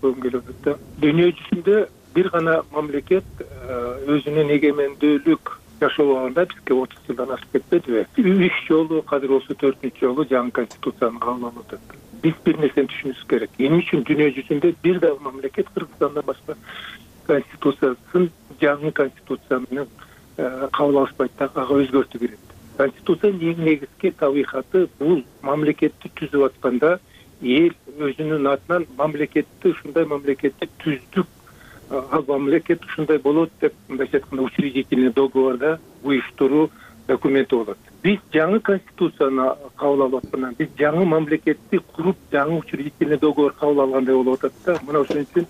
көргүм келип атат да. Дүйнө жүзүндө бир гана мамлекет өзүнүн эгемендүүлүк жашоогонда бизге 30 жылдан ашып кетпедиби? 3 жолу, азыр болсо 4-үнчү жолу жаңы конституцияны кабыл алып атат. Биз бир нерсени түшүнүшүбүз керек. Эмне үчүн дүйнө жүзүндө бир дагы мамлекет Кыргызстандан башка конституциясын жаңы конституция менен кабыл алышпайт да, ага өзгөртүү керек. Конституциянын эң негизги табигаты бул мамлекетти түзүп атканда эл өзүнүн атынан мамлекетти ушундай мамлекетти түздүк, ал мамлекет ушундай болот деп мындайча айтканда учредительный договорда уюштуруу документи болот. Биз жаңы конституцияны кабыл алып аткандан биз жаңы мамлекетти куруп, жаңы учредительный договор кабыл алгандай болуп атат да. Мына ошон үчүн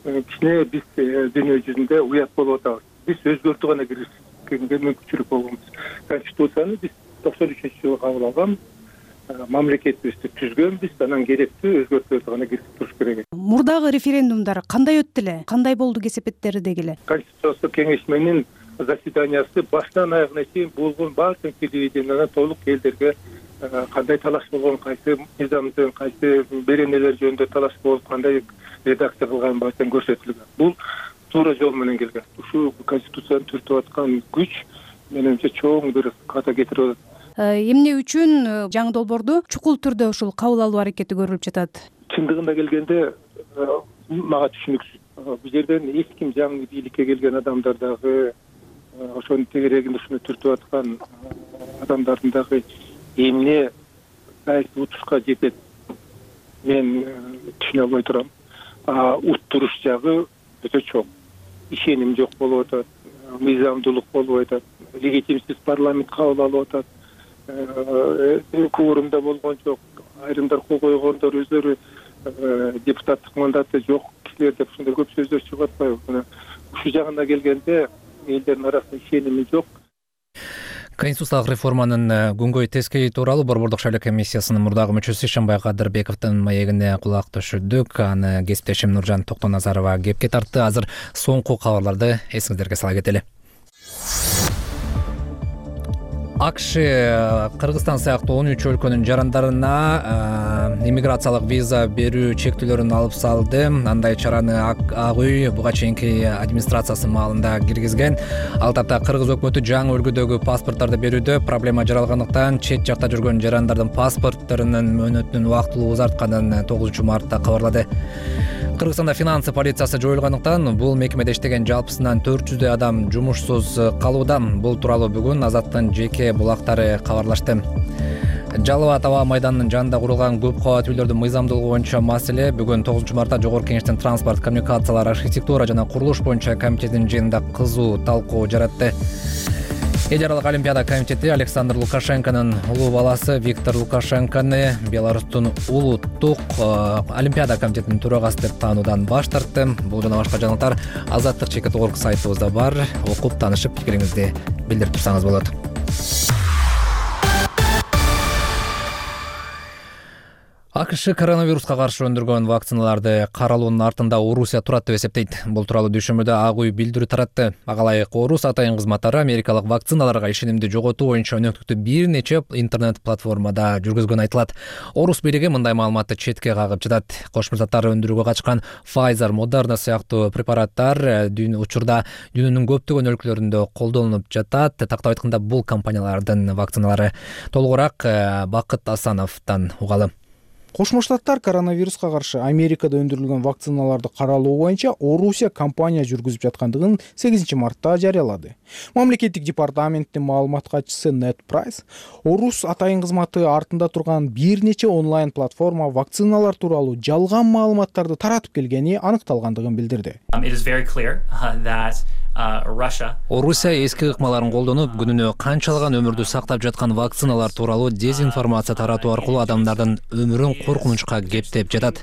кичине биз дүйнө жүзүндө уят болуп атабыз. Биз өзгөртүү гана киргизгенге мүмкүнчүлүк болгонбуз. Конституцияны биз 93-жылы кабыл алган, мамлекетибизди түзгөнбүз, анан керектүү өзгөртүүлөрдү гана киргизип туруш керек. Мурдагы референдумдар кандай өттү эле? Кандай болду кесепеттери деги эле? Конституциялык кеңешменин заседаниясы баштан аягына чейин болгон баардык телевидениялардан толук элдерге кандай талаш болгон, кайсы мыйзамдын, кайсы беренелер жөнүндө талаш болуп, кандай редакция кылган баштан көрсөтүлгөн. Бул туура жол менен келген. Ушу конституцияны түртүп аткан күч менимче чоң бир ката кетирип атат. Эмне үчүн жаңы долбоорду чукул түрдө ушул кабыл алуу аракети көрүлүп жатат? Чындыгында келгенде мага түшүнүксүз. Бул жерден эч ким жаңы бийликке келген адамдар дагы, ошонун тегерегинде ушуну түртүп аткан адамдардын дагы эмне кайсы утушка жетет мен түшүнө албай турам. Уттуруш жагы өтө чоң. Ишеним жок болуп атат, мыйзамдуулук болуп атат, легитимсиз парламент кабыл алып атат, кворумда болгон жок, айрымдар кол койгондор өздөрү депутаттык мандаты жок кишилер деп ушундай көп сөздөр чыгып атпайбы? Ушу жагына келгенде элдердин арасында ишеними жок. Конституциялык реформанын күнгөй тескейи тууралуу Борбордук шайлоо комиссиясынын мурдагы мүчөсү Ишенбай Кадырбековдун маегине кулак түшүрдүк. Аны кесиптешим Нуржан Токтоназарова кепке тартты. Азыр соңку кабарларды эсиңиздерге сала кетели. АКШ Кыргызстан сыяктуу 13 өлкөнүн жарандарына иммиграциялык виза берүү чектөөлөрүн алып салды. Андай чараны Ак үй буга чейинки администрациясы маалында киргизген. Ал тапта Кыргыз өкмөтү жаңы үлгүдөгү паспорттарды берүүдө проблема жаралгандыктан чет жакта жүргөн жарандардын паспортторунун мөөнөтүнүн убактылуу узартканын 9 мартта кабарлады. Кыргызстанда финансы полициясы жоюлгандыктан бул мекемеде иштеген жалпысынан 400 адам жумушсуз калууда. Бул тууралуу бүгүн Азаттын жеке булактары кабарлашты. Жалал Абад аба майданынын жанында курулган көп кабат үйлөрдүн мыйзамдуулугу боюнча маселе бүгүн 9 мартта Жогорку Кеңештин транспорт, коммуникациялар, архитектура жана курулуш боюнча комитетинин жыйынында кызуу талкуу жаратты. Эл аралык Олимпиада комитети Александр Лукашенконун улуу баласы Виктор Лукашенкону Беларустун улуттук Олимпиада комитетинин төрагасы деп таануудан баш тартты. Бул жана башка жаңылыктар Азаттык.org сайтыбызда бар. Окуп таанышып пикириңизди билдирип турсаңыз болот. АКШ коронавируска каршы өндүргөн вакциналарды каралуунун артында Орусия турат деп эсептейт. Бул тууралуу дүйшөмбөдө Ак үй билдирүү таратты. Ага ылайык Орус атайын кызматтары америкалык вакциналарга ишенимди жоготуу боюнча өнөктүктү бир нече интернет-платформада жүргүзгөнү айтылат. Орус бийлиги мындай маалыматты четке кагып жатат. Кошмо Штаттар өндүрүүгө качкан Pfizer, Moderna сыяктуу препараттар учурда дүйнөнүн көптөгөн өлкөлөрүндө колдонулуп жатат. Тактап айтканда бул компаниялардын вакциналары. Толугураак Бакыт Асановдон угалы. Кошмо Штаттар коронавируска каршы Америкада өндүрүлгөн вакциналарды каралуу боюнча Орусия компания жүргүзүп жаткандыгын 8 мартта жарыялады. Мамлекеттик департаменттин маалымат катчысы Нед Прайс Орус атайын кызматы артында турган бир нече онлайн платформа вакциналар тууралуу жалган маалыматтарды таратып келгени аныкталгандыгын билдирди. Орусия эски ыкмаларын колдонуп, күнүнө канчалаган өмүрдү сактап жаткан вакциналар тууралуу дезинформация таратуу аркылуу адамдардын өмүрүн коркунучка кептеп жатат.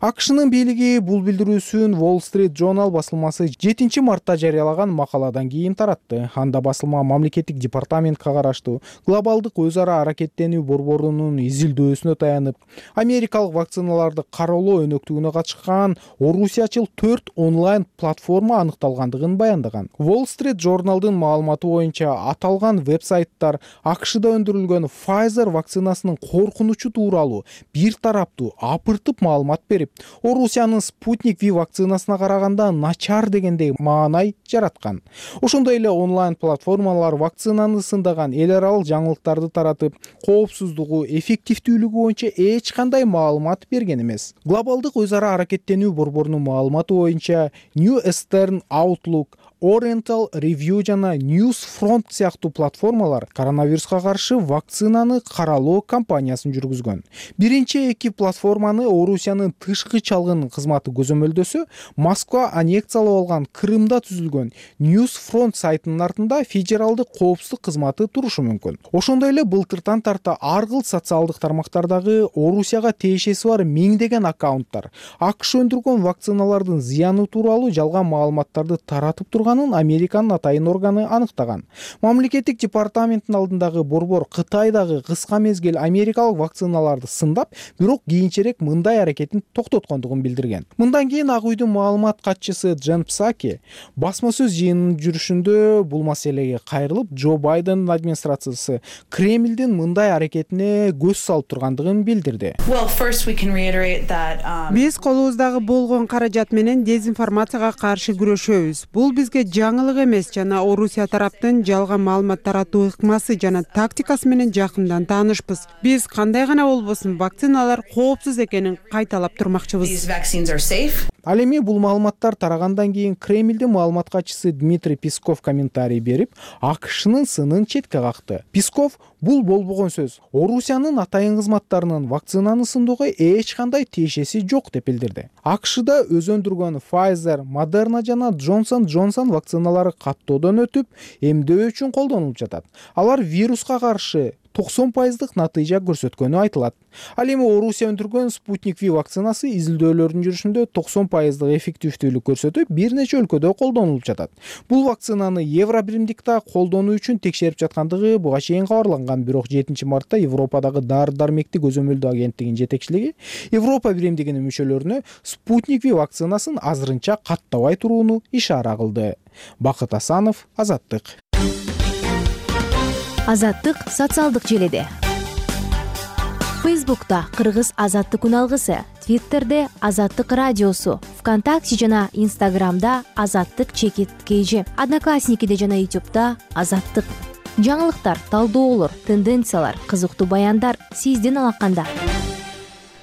АКШнын бийлиги бул билдирүүсүн Wall Street Journal басылмасы 7 мартта жарыялаган макаладан кийин таратты. Анда басылма мамлекеттик департаментке караштуу глобалдык өз ара аракеттенүү борборунун изилдөөсүнө таянып, америкалык вакциналарды кароолоо өнөктүгүнө катышкан орусиячыл 4 онлайн платформа аныкталгандыгын баяндаган. Wall Street Journal'дын маалыматы боюнча аталган вебсайттар АКШда өндүрүлгөн Pfizer вакцинасынын коркунучу тууралуу бир тараптуу апыртып маалымат берип, Орусиянын Sputnik V вакцинасына караганда начар дегендей маанай жараткан. Ошондой эле онлайн платформалар вакцинаны сындаган эл аралык жаңылыктарды таратып, коопсуздугу, эффективдүүлүгү боюнча эч кандай маалымат берген эмес. Глобалдык өз ара аракеттенүү борборунун маалыматы боюнча New Eastern Outlook, Oriental Review жана Newsfront сыяктуу платформалар коронавируска каршы вакцинаны каралоо кампаниясын жүргүзгөн. Биринчи эки платформаны Орусиянын тышкы чалгын кызматы көзөмөлдөсө, Москва аннексиялап алган Крымда түзүлгөн Newsfront сайтынын артында федералдык коопсуздук кызматы турушу мүмкүн. Ошондой эле былтыртан тарта ар кыл социалдык тармактардагы Орусияга тиешеси бар миңдеген аккаунттар АКШ өндүргөн вакциналардын зыяны тууралуу жалган маалыматтарды таратып турганын Американын атайын органы аныктаган. Мамлекеттик департаменттин алдындагы борбор Кытайдагы кыска мезгил америкалык вакциналарды сындап, бирок кийинчерээк мындай аракетин токтоткондугун билдирген. Мындан кийин Ак үйдүн маалымат катчысы Джен Псаки басма сөз жыйынынын жүрүшүндө бул маселеге кайрылып, Джо Байдендин администрациясы Кремлдин мындай аракетине көз салып тургандыгын билдирди. Биз колубуздагы болгон каражат менен дезинформацияга каршы күрөшөбүз. Бул бизге жаңылык эмес жана Орусия тараптын жалган маалымат таратуу ыкмасы жана тактикасы менен жакындан таанышпыз. Биз кандай гана болбосун вакциналар коопсуз экенин кайталап турмакчыбыз. Ал эми бул маалыматтар тарагандан кийин Кремлдин маалымат катчысы Дмитрий Песков комментарий берип, АКШнын сынын четке какты. Песков бул болбогон сөз. Орусиянын атайын кызматтарынын вакцинаны сындоого эч кандай тиешеси жок деп билдирди. АКШда өз өндүргөн Pfizer, Moderna жана Johnson вакциналары каттоодон өтүп, эмдөө үчүн колдонулуп жатат. Алар вируска каршы 90% натыйжа көрсөткөнү айтылат. Ал эми Орусия өндүргөн Sputnik V вакцинасы изилдөөлөрдүн жүрүшүндө 90% эффективдүүлүк көрсөтүп, бир нече өлкөдө колдонулуп жатат. Бул вакцинаны Евро биримдикте колдонуу үчүн текшерип жаткандыгы буга чейин кабарланган, бирок 7 мартта Европадагы дары-дармекти көзөмөлдөө агенттигинин жетекчилиги Европа биримдигинин мүчөлөрүнө Sputnik V вакцинасын азырынча каттабай турууну ишара кылды. Бакыт Асанов, Азаттык. Азаттык социалдык желеде. Фейсбукта Кыргыз Азаттык үналгысы, Твиттерде Азаттык радиосу, ВКонтакте жана Инстаграмда Азаттык _KG, Одноклассникиде жана Ютубта Азаттык. Жаңылыктар, талдоолор, тенденциялар, кызыктуу баяндар сиздин алаканда.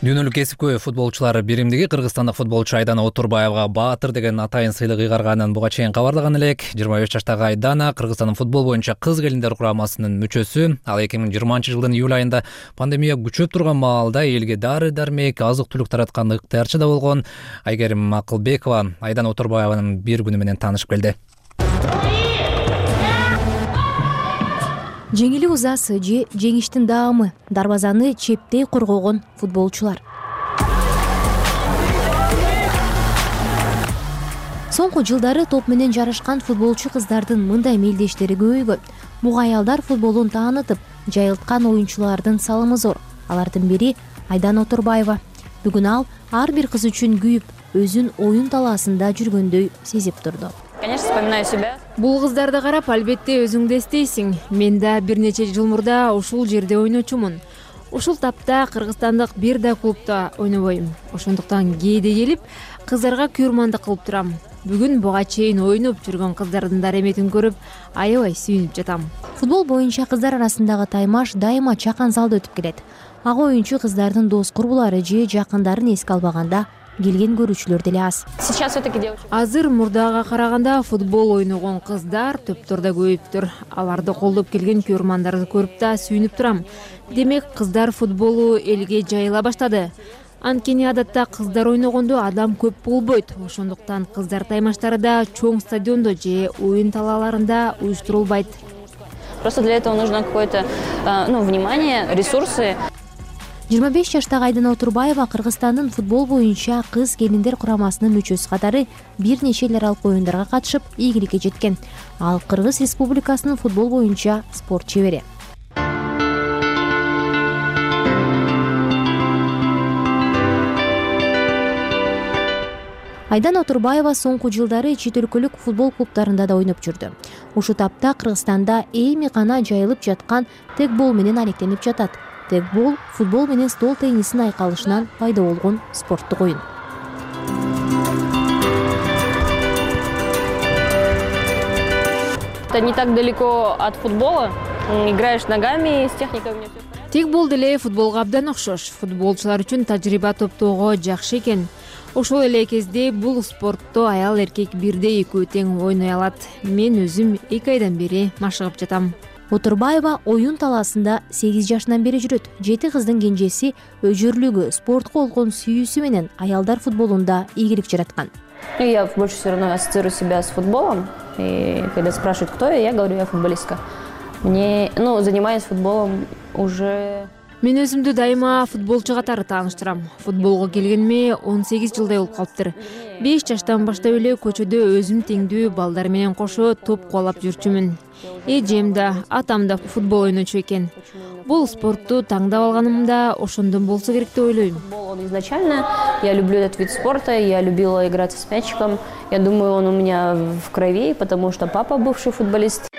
Дүйнөлүк кесипкөй футболчулар биримдиги кыргызстандык футболчу Айдана Отурбаевга Баатыр деген атайын сыйлык ыйгарганын буга чейин кабарлаган элек. 25 жаштагы Айдана Кыргызстандын футбол боюнча кыз келиндер курамасынын мүчөсү. Ал 2020 жылдын июль айында пандемия күчөп турган маалда элге дары-дармек, азык-түлүк тараткан ыктыярчы да болгон. Айгерим Акылбекова Айдана Отурбаеванын бир күнү менен таанышып келди. Жеңили узасы же жеңиштин даамы, дарбазаны чептей коргогон футболчулар. Соңку жылдары топ менен жарышкан футболчу кыздардын мындай мелдештери көбөйгөн. Буга аялдар футболун таанытып, жайылткан оюнчулардын салымы зор. Алардын бири Айдана Отурбаева. Бүгүн ал ар бир кыз үчүн күйүп, өзүн оюн талаасында жүргөндөй сезип турду. Конечно, вспоминаю себя. Бул кыздарды карап, албетте өзүңдү эстейсиң. Мен да бир нече жыл мурда ушул жерде ойночумун. Ушул тапта кыргызстандык бир да клубда ойнобойм. Ошондуктан кээде келип, кыздарга күйөрмандык кылып турам. Бүгүн буга чейин ойноп жүргөн кыздардын дареметин көрүп, аябай сүйүнүп жатам. Футбол боюнча кыздар арасындагы таймаш дайыма чакан залда өтүп келет. Ага оюнчу кыздардын дос курбулары же жакындарын эске албаганда келген көрүүчүлөр деле аз. Азыр мурдага караганда футбол ойногон кыздар төптөрдө көбөйүптүр. Аларды колдоп келген көрмандарды көрүп да сүйүнүп турам. Демек, кыздар футболу элге жайыла баштады. Анткени адатта кыздар ойногондо адам көп болбойт. Ошондуктан кыздар таймаштары да чоң стадиондо же оюн талааларында уюштурулбайт. Просто для этого нужно какое-то, внимание, ресурсы. 25 жаштагы Айдана Отурбаева Кыргызстандын футбол боюнча кыз келиндер курамасынын мүчөсү катары бир нече эл аралык оюндарга катышып ийгиликке жеткен. Ал Кыргыз Республикасынын футбол боюнча спорт чебери. Айдана Отурбаева соңку жылдары чет өлкөлүк футбол клубтарында да ойноп жүрдү. Ушул тапта Кыргызстанда эми гана жайылып жаткан тегбол менен алектенип жатат. Тегбол футбол менен стол теннисин айкалышынан пайда болгон спорттук оюн. Это не так далеко от футбола. Играешь ногами, с техникой у меня все в порядке. Тегбол деле футболго абдан окшош. Футболчулар үчүн тажрыйба топтоого жакшы экен. Ошол эле кезде бул спортто аял эркек бирдей экөө тең ойной алат. Мен өзүм 2 айдан бери машыгып жатам. Отурбаева оюн талаасында 8 жашынан бери жүрөт. 7 кыздын кенжеси өжөрлүгү, спортко болгон сүйүүсү менен аялдар футболунда ийгилик жараткан. Я больше все равно ассоциирую себя с футболом. И когда спрашивают, кто я говорю, я футболистка. Занимаюсь футболом уже... Мен өзүмдү дайыма футболчу катары тааныштырам. Футболго келгениме 18 жылдай болуп калыптыр. 5 жаштан баштап эле көчөдө өзүм теңдүү балдар менен кошо топ кубалап жүрчүмүн. Эжем да, атам да футбол ойночу экен. Бул спортту таңдап алганым да ошондон болсо керек деп ойлойм. Изначально я люблю этот вид спорта, я любила играться с мячиком. Я думаю, он у меня в крови, потому что папа бывший футболист.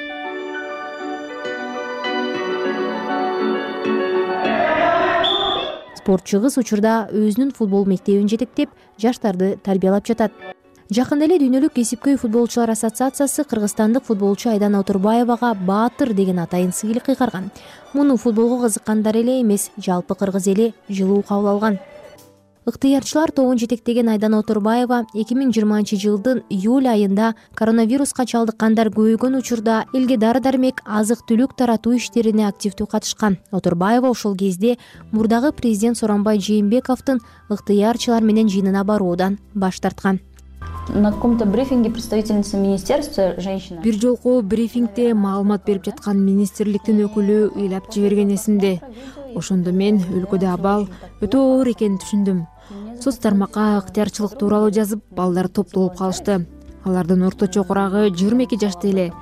Спортчу кыз учурда өзүнүн футбол мектебин жетектеп, жаштарды тарбиялап жатат. Жакында эле Дүйнөлүк кесипкөй футболчулар ассоциациясы кыргызстандык футболчу Айдана Отурбаевага Баатыр деген атайын сыйлык кыйгарган. Муну футболго кызыккандар эле эмес, жалпы кыргыз эли жылуу кабыл алган. Ыктыярчылар тобун жетектеген Айдана Отурбаева 2020 жылдын июль айында коронавируска чалдыккандар көбөйгөн учурда элге дары-дармек, азык-түлүк таратуу иштерине активдүү катышкан. Отурбаева ошол кезде мурдагы президент Сооронбай Жээнбековдун ыктыярчылар менен жыйынына баруудан баш тарткан. На каком-то брифинге представительница министерства женщина. Бир жолку брифингде маалымат берип жаткан министрликтин өкүлү ыйлап жиберген эсимде. Ошондо мен өлкөдө абал өтө оор экенин түшүндүм. Соц тармакка ыктыярчылык тууралуу жазып, балдар топтолуп калышты. Алардын орточо курагы 22 жашта эле.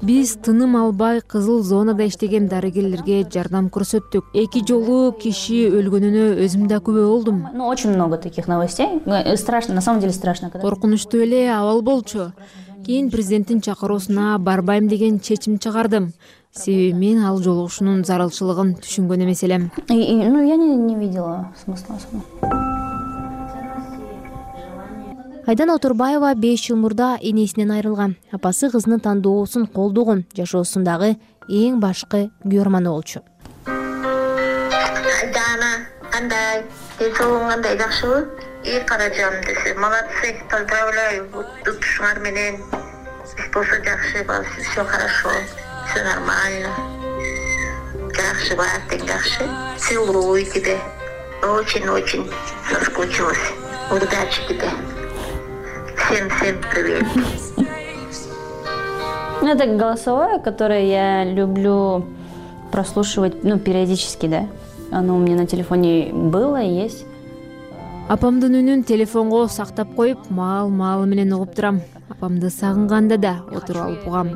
Биз тыным албай кызыл зонада иштеген дарыгерлерге жардам көрсөттүк. 2 жолу киши өлгөнүнө өзүм да күбө болдум. Очень много таких новостей. Страшно, на самом деле страшно. Коркунучтуу эле абал болчу. Кийин президенттин чакыруусуна барбайм деген чечим чыгардым. Себеби мен ал жолугушуунун зарылчылыгын түшүнгөн эмес элем. Я не видела смысла особо. Айдана Отурбаева 5 жыл мурда энесинен айрылган. Апасы кызынын тандоосун колдогон, жашоосундагы эң башкы күйөрманы болчу. Айдана, кандай? Дезолуң кандай, жакшыбы? Каражам десе, молодцы, поздравляю. Тутушуңар менен. Болсо жакшы, все хорошо, все нормально. Жакшы бар, тең жакшы. Целую тебя. Очень-очень соскучилась. Удачи тебе. Всем привет. Это голосовое, которое я люблю прослушивать, периодически, да. Оно у меня на телефоне было и есть. Апамдын үнүн телефонго сактап коюп, маал менен угуп турам. Апамды сагынганда да отуруп алып угам.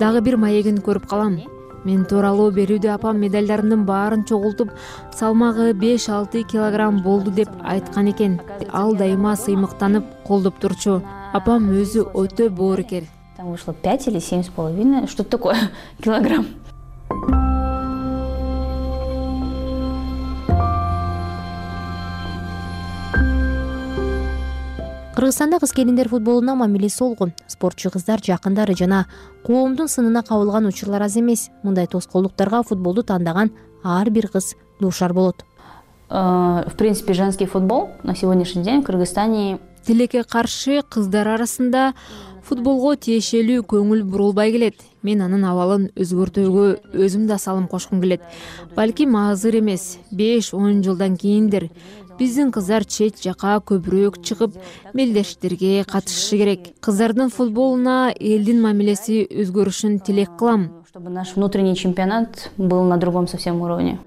Дагы бир маегин көрүп калам. Мен тууралуу берүүдө апам медальдарымдын баарын чогултуп, салмагы 5-6 килограмм болду деп айткан экен. Ал дайыма сыймыктанып, колдоп турчу. Апам өзү өтө боорукер. Там вышло 5 или 7,5, что такое килограмм. Кыргызстанда кыз келиндер футболуна мамиле солгун. Спортчу кыздар жакындары жана коомдун сынына кабылган учурлар аз эмес. Мындай тоскоолдуктарга футболду тандаган ар бир кыз дуушар болот. В принципе, женский футбол на сегодняшний день в Кыргызстане... Тилекке каршы кыздар арасында футболго тиешелүү көңүл бурулбай келет. Мен анын абалын өзгөртүүгө өзүм да салым кошкум келет. Балким азыр эмес, 5-10 жылдан кийиндир. Биздин кыздар чет жака көбүрөөк чыгып, мелдештерге катышышы керек. Кыздардын футболуна элдин мамилеси өзгөрүшүн тилек кылам. Чтобы наш внутренний чемпионат был на другом совсем уровне.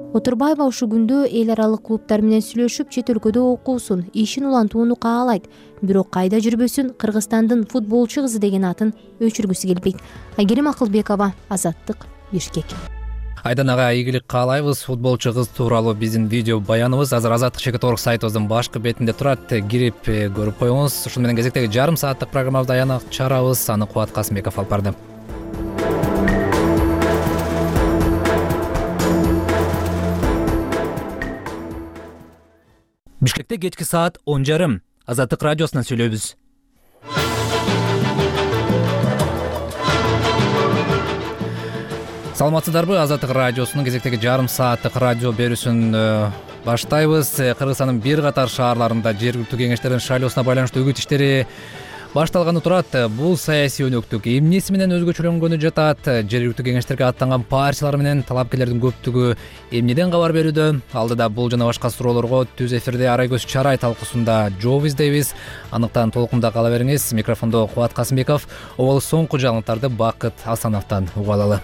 Отурбаева ушул күндө эл аралык клубтар менен сүйлөшүп, чет өлкөдө окуусун, ишин улантууну каалайт. Бирок кайда жүрбөсүн, Кыргызстандын футболчу кызы деген атын өчүргүсү келбейт. Айгерим Акылбекова, Азаттык, Бишкек. Айдан ага ийгилик каалайбыз. Футболчу кыз тууралуу биздин видео баяныбыз азыр Азаттык.org сайтыбыздын башкы бетинде турат. Кирип көрүп коюңуз. Ушун менен кезектеги жарым сааттык программабызды аянга чыгарабыз. Аны Кубат Касымбеков алып барды. Бишкекте кечки саат 10:30. Азаттык радиосунан сүйлөйбүз. Саламатсыздарбы? Азаттык радиосунун кезектеги жарым сааттык радио берүүсүн баштайбыз. Кыргызстандын бир катар шаарларында жергиликтүү кеңештердин шайлоосуна байланыштуу үгүт иштери башталганы турат. Бул саясий өнөктүк эмнеси менен өзгөчөлөнгөнү жатат? Жергиликтүү кеңештерге аттанган партиялар менен талапкерлердин көптүгү эмнеден кабар берүүдө? Алдыда бул жана башка суроолорго түз эфирде Арайкөз Чарай талкуусунда жооп издейбиз. Аныктан толкунда кала бериңиз. Микрофондо Кубат Касымбеков. Обол соңку жаңылыктарды Бакыт Асановдон угуп алалы.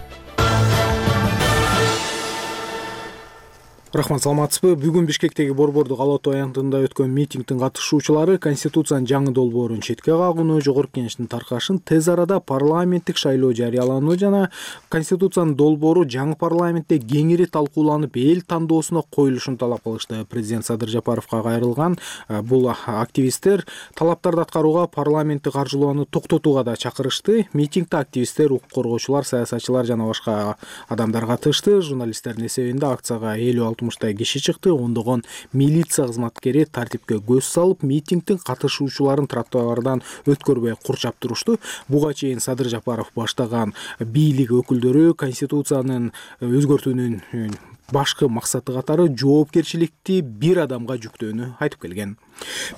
Рахмат, саламатсызбы? Бүгүн Бишкектеги Борбордук Ала-Тоо аянтында өткөн митингдин катышуучулары Конституциянын жаңы долбоорун четке кагууну, Жогорку Кеңештин таркашын тез арада парламенттик шайлоо жарыялануу жана Конституциянын долбоору жаңы парламентте кеңири талкууланып, эл тандоосуна коюлушун талап кылышты. Президент Садыр Жапаровго кайрылган бул активисттер талаптарды аткарууга, парламентти каржылоону токтотууга да чакырышты. Митингде активисттер, укук коргоочулар, саясатчылар жана башка адамдар катышты. Журналисттердин эсебинде акцияга 50-60 киши чыкты. Ондогон милиция кызматкери тартипке көз салып, митингдин катышуучуларын тротуардан өткөрбөй курчап турушту. Буга чейин Садыр Жапаров баштаган бийлик өкүлдөрү Конституциянын өзгөртүүнүн башкы максаты катары жоопкерчиликти бир адамга жүктөөнү айтып келген.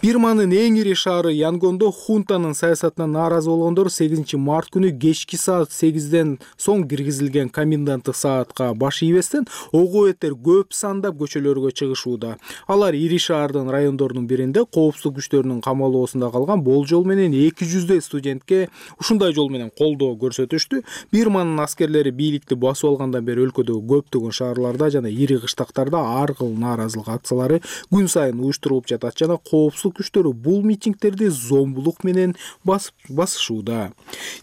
Бирманын эң ири шаары Янгондо хунтанын саясатына нааразы болгондор 8 март күнү кечки саат 8ден соң киргизилген коменданттык саатка баш ийбестен ого-бетер көп сандап көчөлөргө чыгышууда. Алар ири шаардын райондорунун биринде коопсуздук күчтөрүнүн камалоосунда калган болжол менен 200 студентке ушундай жол менен колдоо көрсөтүштү. Бирманын аскерлери бийликти басып алгандан бери өлкөдөгү көптөгөн шаарларда жана ири кыштактарда ар кыл нааразылык акциялары күн сайын уюштурулуп жатат жана коопсуздук күчтөрү бул митингдерди зомбулук менен басышууда.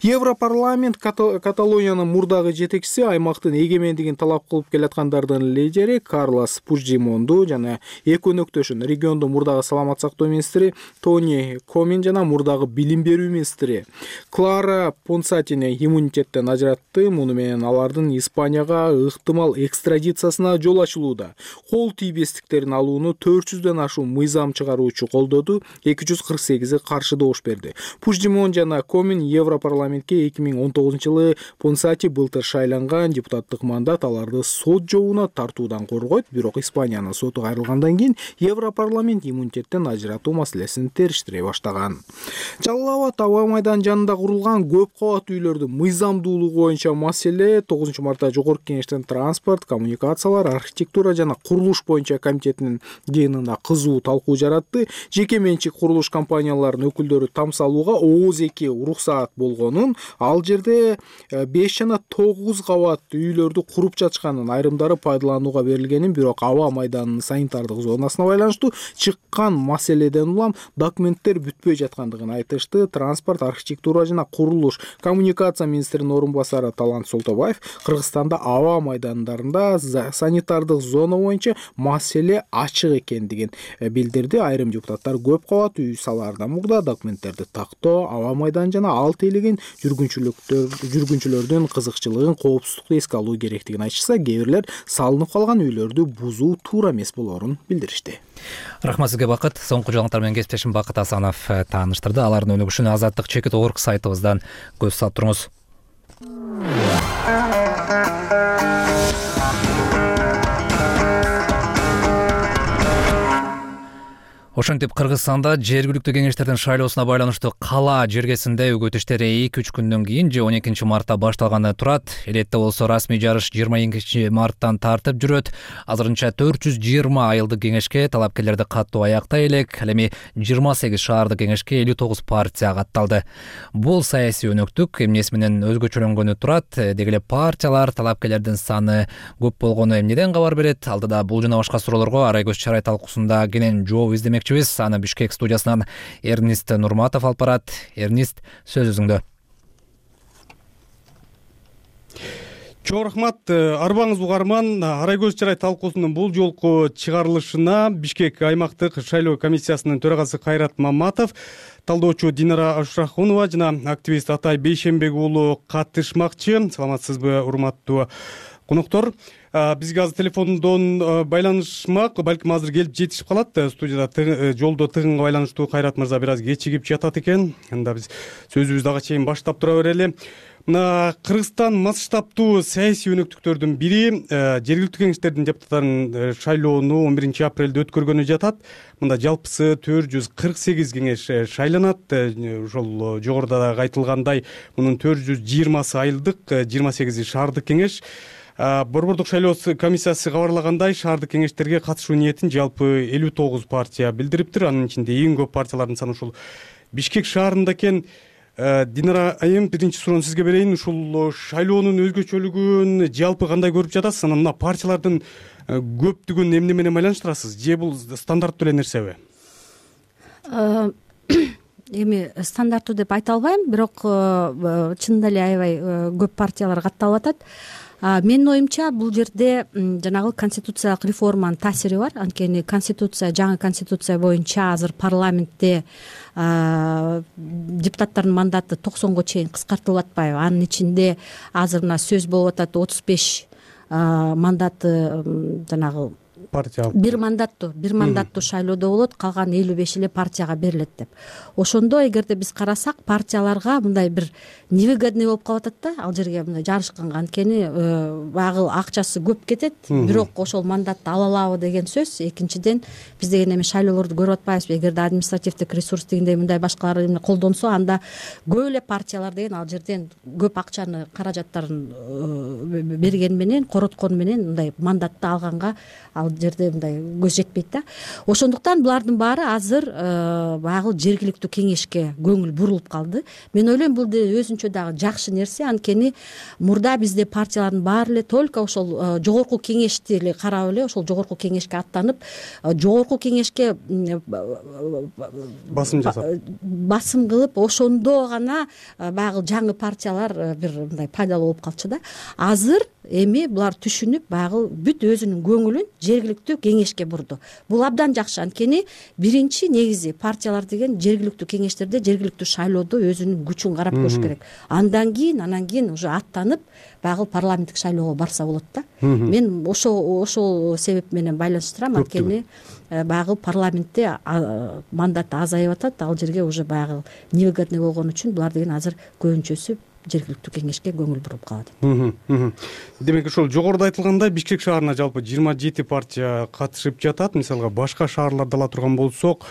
Европарламент Каталониянын мурдагы жетекчиси, аймактын эгемендигин талап кылып келаткандардын лидери Карлос Пучдемонду жана эки өнөктөшүн, региондун мурдагы саламат сактоо министри Тони Комин жана мурдагы билим берүү министри Клара Понсатини иммунитеттен ажыратты. Муну менен алардын Испанияга ыктымал экстрадициясына жол ачылууда. Кол тийбестиктерин алууну 400дөн ашуун мыйзам чыгаруучу колдоду, 248 каршы добуш берди. Пучдемон жана Комин Европарламентке 2019-жылы Понсати былтыр шайланган. Депутаттык мандат аларды сот жообуна тартуудан коргойт, бирок Испаниянын соту кайрылгандан кийин Европарламент иммунитеттен ажыратуу маселесин териштире баштаган. Жалал Абад аба майданынын жанында курулган көп кабаттуу үйлөрдүн мыйзамдуулугу боюнча маселе 9 мартта Жогорку Кеңештин транспорт, коммуникациялар, архитектура жана курулуш боюнча комитетинин жыйынында кызуу талкуу жаратты. Жеке менчик курулуш компанияларынын өкүлдөрү там салууга ооз-2 уруксаат болгонун, ал жерде 5 жана 9 кабат үйлөрдү куруп жатышканын, айрымдары пайдаланууга берилгенин, бирок аба майданынын санитардык зонасына байланыштуу чыккан маселеден улам документтер бүтпөй жаткандыгын айтышты. Транспорт, архитектура жана курулуш, коммуникация министринин орун басары Талант Солтобаев Кыргызстанда аба майдандарында санитардык зона боюнча маселе ачык экендигин билдирди. Айрым депутаттар көп кабат үй салаардан мурда документтерди тактоо, аба майдан жана ал тейлеген жүргүнчүлөрдүн кызыкчылыгын, коопсуздукту эске алуу керектигин айтышса, кээ бирлер салынып калган үйлөрдү бузуу туура эмес болоорун билдиришти. Рахмат сизге, Бакыт. Соңку жаңылыктар менен кесиптешим Бакыт Асанов тааныштырды. Алардын өнүгүшүнө Азаттык.org сайтыбыздан көз салып туруңуз. Ошентип Кыргызстанда жергиликтүү кеңештердин шайлоосуна байланыштуу кала жергесинде өгөт иштери 2-3 күндөн кийин же 12 мартта башталганы турат. Элетте болсо расмий жарыш 22 марттан тартып жүрөт. Азырынча 420 айылдык кеңешке талапкерлерди каттоо аяктай элек. Ал эми 28 шаардык кеңешке 59 партия катталды. Бул саясий өнөктүк эмнеси менен өзгөчөлөнгөнү турат. Деги эле партиялар, талапкерлердин саны көп болгону эмнеден кабар берет? Алдыда бул жана башка суроолорго Арайгөз Чарай талкуусунда кенен жооп издемек. Аны Бишкек студиясынан Эрнист Нурматов алып барат. Эрнист, сөз өзүңдө. Чоң рахмат. Арбаңыз угарман. Арайгөз Чарай талкуусунун бул жолку чыгарылышына Бишкек аймактык шайлоо комиссиясынын төрагасы Кайрат Маматов, талдоочу Динара Ашрахунова жана активист Атай Бейшенбек уулу катышмакчы. Саламатсызбы, урматтуу коноктор? Бизге азыр телефондон байланышмак, балким азыр келип жетишип калат. Студияда жолдо тыгынга байланыштуу Кайрат мырза бир аз кечигип жатат экен. Анда биз сөзүбүздү ага чейин баштап тура берели. Мына Кыргызстан масштабтуу саясий өнөктүктөрдүн бири жергиликтүү кеңештердин депутаттарын шайлоону 11 апрелде өткөргөнү жатат. Мында жалпысы 448 кеңеш шайланат. Ошол жогоруда дагы айтылгандай, мунун 420 айылдык, 28 шаардык кеңеш. Борбордук шайлоо комиссиясы кабарлагандай, шаардык кеңештерге катышуу ниетин жалпы 59 партия билдириптир. Анын ичинде эң көп партиялардын саны ушул Бишкек шаарында экен. Динара айым, биринчи суроону сизге берейин. Ушул шайлоонун өзгөчөлүгүн жалпы кандай көрүп жатасыз? Анан мына партиялардын көптүгүн эмне менен байланыштырасыз? Же бул стандарттуу эле нерсеби? Эми стандарттуу деп айта албайм, бирок чынында эле аябай көп партиялар катталып атат. Менин оюмча бул жерде жанагы конституциялык реформанын таасири бар. Анткени жаңы конституция боюнча азыр парламентте депутаттардын мандаты 90го чейин кыскартылып атпайбы? Анын ичинде азыр мына сөз болуп атат 35 мандаты жанагы бир мандаттуу шайлоодо болот, калган 55 эле партияга берилет деп. Ошондо эгерде биз карасак, партияларга мындай бир невыгодный болуп калып атат да, ал жерге мындай жарышканга. Анткени багы акчасы көп кетет, бирок ошол мандатты ала алабы деген сөз. Экинчиден, биз деген эми шайлоолорду көрүп атпайбызбы? Эгерде административдик ресурс дегендей мындай башкалар эмне колдонсо, анда көп эле партиялар деген ал жерден көп акчаны, каражаттарын берген менен, короткон менен мындай мандатты алганга ал жерде мындай көз жетпейт да. Ошондуктан булардын баары азыр багы жергиликтүү кеңешке көңүл бурулуп калды. Мен ойлойм, бул өзүнчө дагы жакшы нерсе. Анткени мурда бизде партиялардын баары эле только ошол жогорку кеңешти эле карап эле, ошол жогорку кеңешке аттанып, жогорку кеңешке басым кылып, ошондо гана багы жаңы партиялар бир мындай пайдалуу болуп калчу да. Азыр эми булар түшүнүп, багы бүт өзүнүн көңүлүн жергиликтүү кеңешке бурду. Бул абдан жакшы. Анткени биринчи негизи партиялар деген жергиликтүү кеңештерде, жергиликтүү шайлоодо өзүнүн күчүн карап көрүш керек. Анан кийин уже аттанып, багы парламенттик шайлоого барса болот да. Мен ошол себеп менен байланыштырам. Анткени багы парламентте мандаты азайып атат. Ал жерге уже багы невыгодный болгон үчүн булар деген азыр көбүнчөсү жергиликтүү кеңешке көңүл буруп калат. Демек, ошол жогоруда айтылгандай, Бишкек шаарына жалпы 27 партия катышып жатат. Мисалга башка шаарларды ала турган болсок,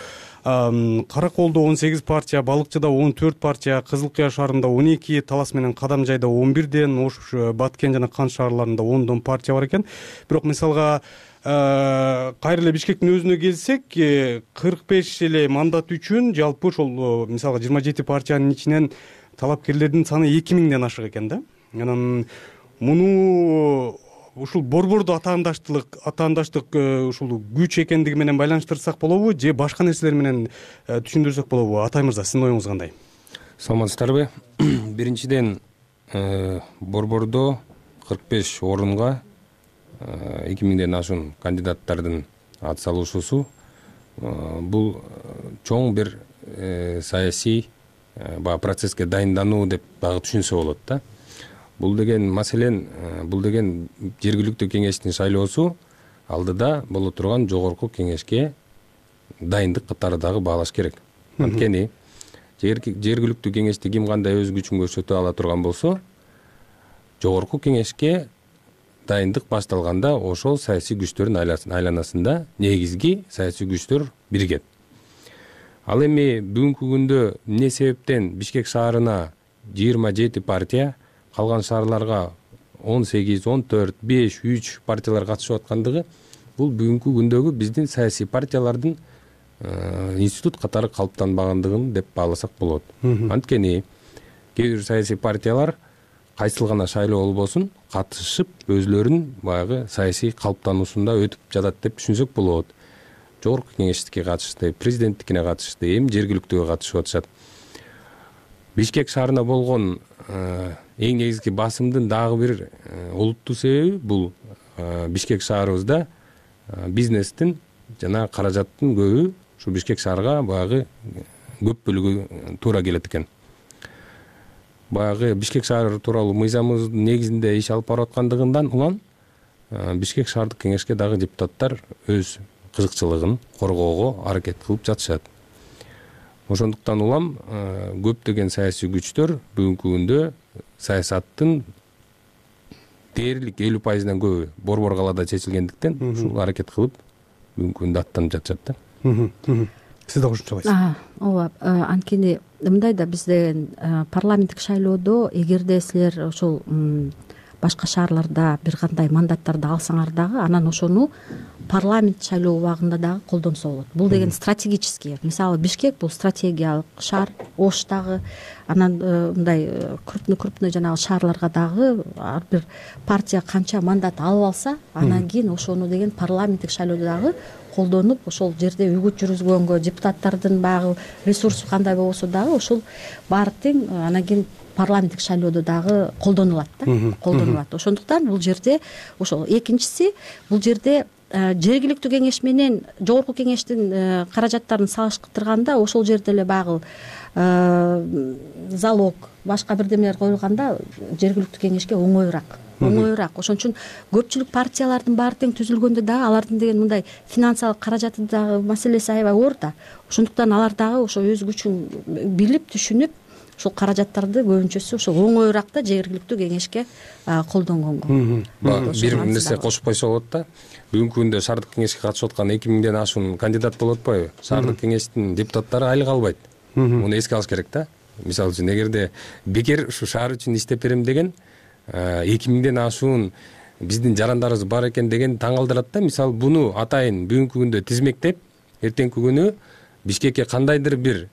Караколдо 18 партия, Балыкчыда 14 партия, Кызыл Кыя шаарында 12, Талас менен Кадамжайда 11ден, Ош, Баткен жана Кан шаарларында 10дон партия бар экен. Бирок мисалга кайра эле Бишкектин өзүнө келсек, 45 эле мандат үчүн жалпы ошол мисалга 27 партиянын ичинен талапкерлердин саны 2000ден ашык экен да. Анан муну ушул борбордо атаандаштык ушул күч экендиги менен байланыштырсак болобу, же башка нерселер менен түшүндүрсөк болобу? Атай мырза, сиздин оюңуз кандай? Саламатсыздарбы? Биринчиден, борбордо 45 орунга 2000ден ашуун кандидаттардын ат салышуусу бул чоң бир саясий процесске дайындануу деп дагы түшүнсө болот да. Бул деген маселен, бул деген жергиликтүү кеңештин шайлоосу алдыда боло турган жогорку кеңешке дайындык катары дагы баалаш керек. Анткени жергиликтүү кеңеште ким кандай өз күчүн көрсөтө ала турган болсо, жогорку кеңешке дайындык башталганда ошол саясий күчтөрдүн айланасында негизги саясий күчтөр биригет. Ал эми бүгүнкү күндө эмне себептен Бишкек шаарына 27 партия, калган шаарларга 18, 14, 5, 3 партиялар катышып аткандыгы бул бүгүнкү күндөгү биздин саясий партиялардын институт катары калыптанбагандыгын деп бааласак болот. Анткени кээ бир саясий партиялар кайсыл гана шайлоо болбосун катышып өзүлөрүнүн баягы саясий калыптануусунда өтүп жатат деп түшүнсөк болот. Жогорку кеңештикке катышты, президенттикине катышты, эми жергиликтүүгө катышып атышат. Бишкек шаарына болгон эң негизги басымдын дагы бир олуттуу себеби бул Бишкек шаарыбызда бизнестин жана каражаттын көбү ушу Бишкек шаарга баягы көп бөлүгү туура келет экен. Баягы Бишкек шаары тууралуу мыйзамыбыздын негизинде иш алып барып аткандыгынан улам Бишкек шаардык кеңешке дагы депутаттар өз кызыкчылыгын коргоого аракет кылып жатышат. Ошондуктан улам көптөгөн саясий күчтөр бүгүнкү күндө саясаттын дээрлик 50%-дан көбү Борбор калаада чечилгендиктен ушул аракет кылып бүгүнкү күндө аттанып жатышат да. Сиз да кошумчалайсыз. ооба, анткени мындай да бизде парламенттик шайлоодо эгерде силер ошол башка шаарларда бир кандай мандаттарды алсаңар дагы анан ошону парламент шайлоо убагында дагы колдонсо болот. Бул деген стратегический. Мисалы Бишкек бул стратегиялык шаар, Ош дагы, анан мындай крупный жанагы шаарларга дагы ар бир партия канча мандат алып алса, анан кийин ошону деген парламенттик шайлоодо дагы колдонуп, ошол жерде үгүт жүргүзгөнгө депутаттардын баягы ресурсу кандай болбосо дагы ошол баары тең анан кийин парламенттик шайлоодо дагы колдонулат да, колдонулат. Ошондуктан бул жерде ошол экинчиси бул жерде жергиликтүү кеңеш менен жогорку кеңештин каражаттарын салыштырганда ошол жерде эле баягы залог башка бирдемелер коюлганда жергиликтүү кеңешке оңоюраак. Ошон үчүн көпчүлүк партиялардын баары тең түзүлгөндө дагы алардын деген мындай финансылык каражаты дагы маселеси аябай оор да. Ошондуктан алар дагы ошо өз күчүн билип түшүнүп ушул каражаттарды көбүнчөсү ошол оңоюраак да жергиликтүү кеңешке колдонгонго. Бир нерсе кошуп койсо болот да. Бүгүнкү күндө шаардык кеңешке катышып аткан 2000ден ашуун кандидат болуп атпайбы? Шаардык кеңештин депутаттары айлык албайт. Муну эске алыш керек да. Мисалы үчүн эгерде бекер ушу шаар үчүн иштеп берем деген 2000ден ашуун биздин жарандарыбыз бар экен деген таң калтырат да. Мисалы буну атайын бүгүнкү күндө тизмектеп, эртеңки күнү Бишкекке кандайдыр бир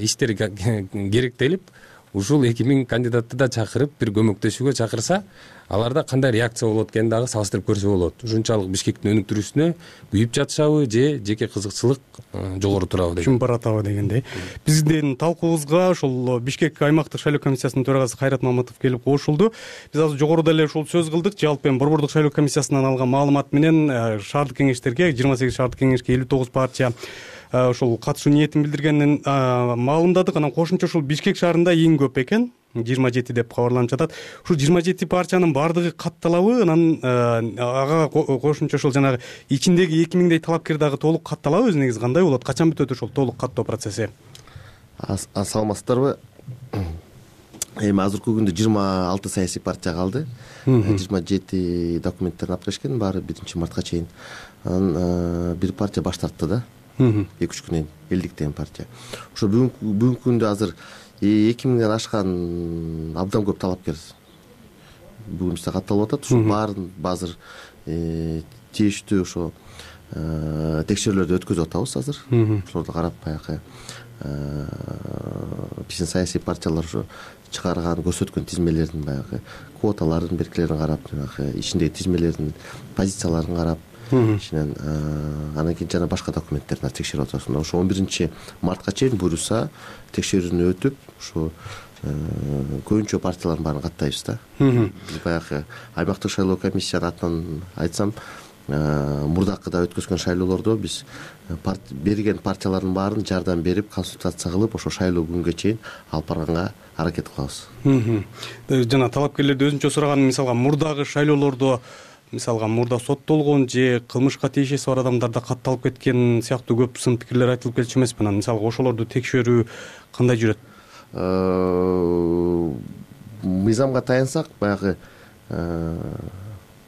иштер керектелип, ушул 2000 кандидатты да чакырып, бир көмөктөшүүгө чакырса, аларда кандай реакция болот экенин дагы салыштырып көрсө болот. Ушунчалык Бишкектин өнүктүрүүсүнө күйүп жатышабы же жеке кызыкчылык жогору турабы деген. Чүн баратабы дегендей. Биздин талкуубузга ошол Бишкек аймактык шайлоо комиссиясынын төрагасы Кайрат Маматов келип кошулду. Биз азыр жогоруда эле ошол сөз кылдык. Жалпы эми Борбордук шайлоо комиссиясынан алган маалымат менен шаардык кеңештерге 28 шаардык кеңешке 59 партия ошол катышуу ниетин билдиргенин маалымдадык. Анан кошумча ушул Бишкек шаарында эң көп экен, 27 деп кабарланып жатат. Ушул 27 партиянын баардыгы катталабы? Анан ага кошумча ошол жанагы ичиндеги 2000дей талапкер дагы толук катталабы? Өзү негизи кандай болот? Качан бүтөт ошол толук каттоо процесси? Саламатсыздарбы? Эми азыркы күндө 26 саясий партия калды. 27 документтерин алып келишкен, баары 1-мартка чейин. Анан бир партия баш тартты да. 2-3 күнөн элдик деген партия. Ошо бүгүнкү күндө азыр 2000ден ашкан абдан көп талапкер бүгүн бизде катталып атат. Ушул баарын азыр тийиштүү ошо текшерүүлөрдү өткөзүп атабыз азыр. Ошолорду карап баягы биздин саясий партиялар ошо чыгарган, көрсөткөн тизмелердин баягы квоталарын, беркилерин карап, жанагы ичиндеги тизмелердин позицияларын карап, ичинен анан кийин жана башка документтерди текшерип атабыз. Ошо 11-мартка чейин буюрса текшерүүнү өтүп, ошо көбүнчө партиялардын баарын каттайбыз да. Биз баягы аймактык шайлоо комиссиянын атынан айтсам, мурдакыда өткөзгөн шайлоолордо биз берген партиялардын баарын жардам берип, консультация кылып, ошо шайлоо күнгө чейин алып барганга аракет кылабыз. Жана талапкерлерди өзүнчө сураган, мисалга мурдагы шайлоолордо, мисалга мурда соттолгон же кылмышка тиешеси бар адамдарда катталып кеткен сыяктуу көп сын пикирлер айтылып келчү эмеспи? Анан мисалга ошолорду текшерүү кандай жүрөт? Мыйзамга таянсак, баягы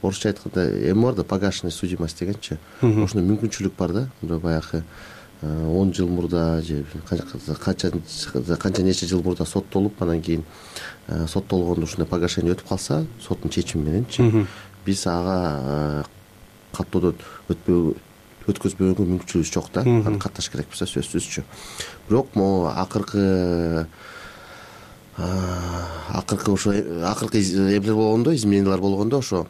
орусча айтканда эми бар да, погашенная судимость дегенчи. Ошондой мүмкүнчүлүк бар да. Баягы 10 жыл мурда же канча нече жыл мурда соттолуп анан кийин соттолгондо ушундай погашение өтүп калса соттун чечими мененчи биз ага каттоодон өткөзбөгөнгө мүмкүнчүлүгүбүз жок да. Аны катташ керекпиз сөзсүзчү. Бирок могу акыркы эмелер болгондо, изменениялар болгондо ошо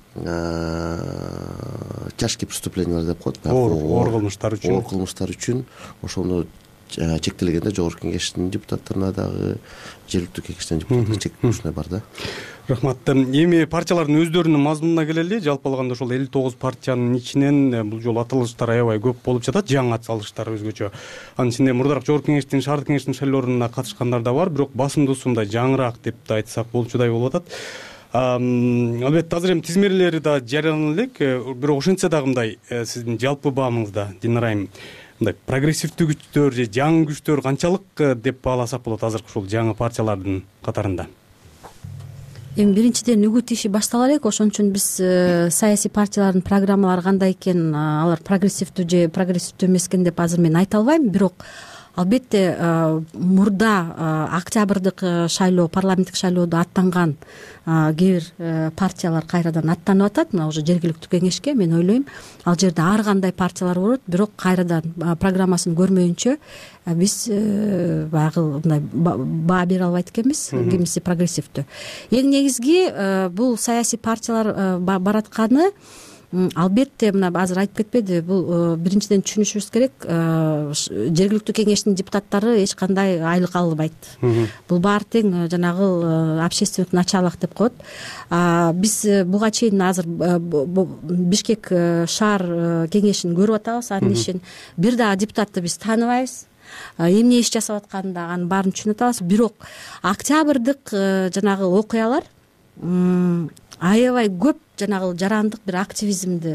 тяжкие преступлениялар деп коет. Оор кылмыштар үчүн ошону чектелгенде жогорку кеңештин депутаттарына дагы жергиликтүү кеңештин депутаттарына чектелүү ушундай бар да. Рахмат. Эми партиялардын өздөрүнүн мазмунуна келели. Жалпы алганда ошол 59 партиянын ичинен бул жолу аталыштар аябай көп болуп жатат. Жаңы аталыштар өзгөчө. Анын ичинде мурдараак жогорку кеңештин, шаардык кеңештин шайлоолоруна катышкандар да бар, бирок басымдуусу мындай жаңыраак деп да айтсак болчудай болуп атат. Албетте азыр эми тизмелери да жарыялана элек, бирок ошентсе дагы мындай сиздин жалпы баамыңызда Динара айым мындай прогрессивдүү күчтөр же жаңы күчтөр канчалык деп бааласак болот азыркы ушул жаңы партиялардын катарында? Эми биринчиден үгүт иши баштала элек, ошон үчүн биз саясий партиялардын программалары кандай экен, алар прогрессивдүү же прогрессивдүү эмес экен деп азыр мен айта албайм. Бирок албетте мурда октябрдык шайлоо, парламенттик шайлоодо аттанган кээ бир партиялар кайрадан аттанып атат. Мына уже жергиликтүү кеңешке мен ойлойм ал жерде ар кандай партиялар болот, бирок кайрадан программасын көрмөйүнчө биз баягы мындай баа бере албайт экенбиз, кимиси прогрессивдүү. Эң негизги бул саясий партиялар баратканы албетте мына азыр айтып кетпеди, бул биринчиден түшүнүшүбүз керек, жергиликтүү кеңештин депутаттары эч кандай айлык албайт. Бул баары тең жанагы общественный началок деп коет. Биз буга чейин азыр Бишкек шаар кеңешин көрүп атабыз, анын ишин. Бир дагы депутатты биз тааныбайбыз. Эмне иш жасап атканын дагы анын баарын түшүнүп атабыз. Бирок октябрдык жанагы окуялар аябай көп жанагы жарандык бир активизмди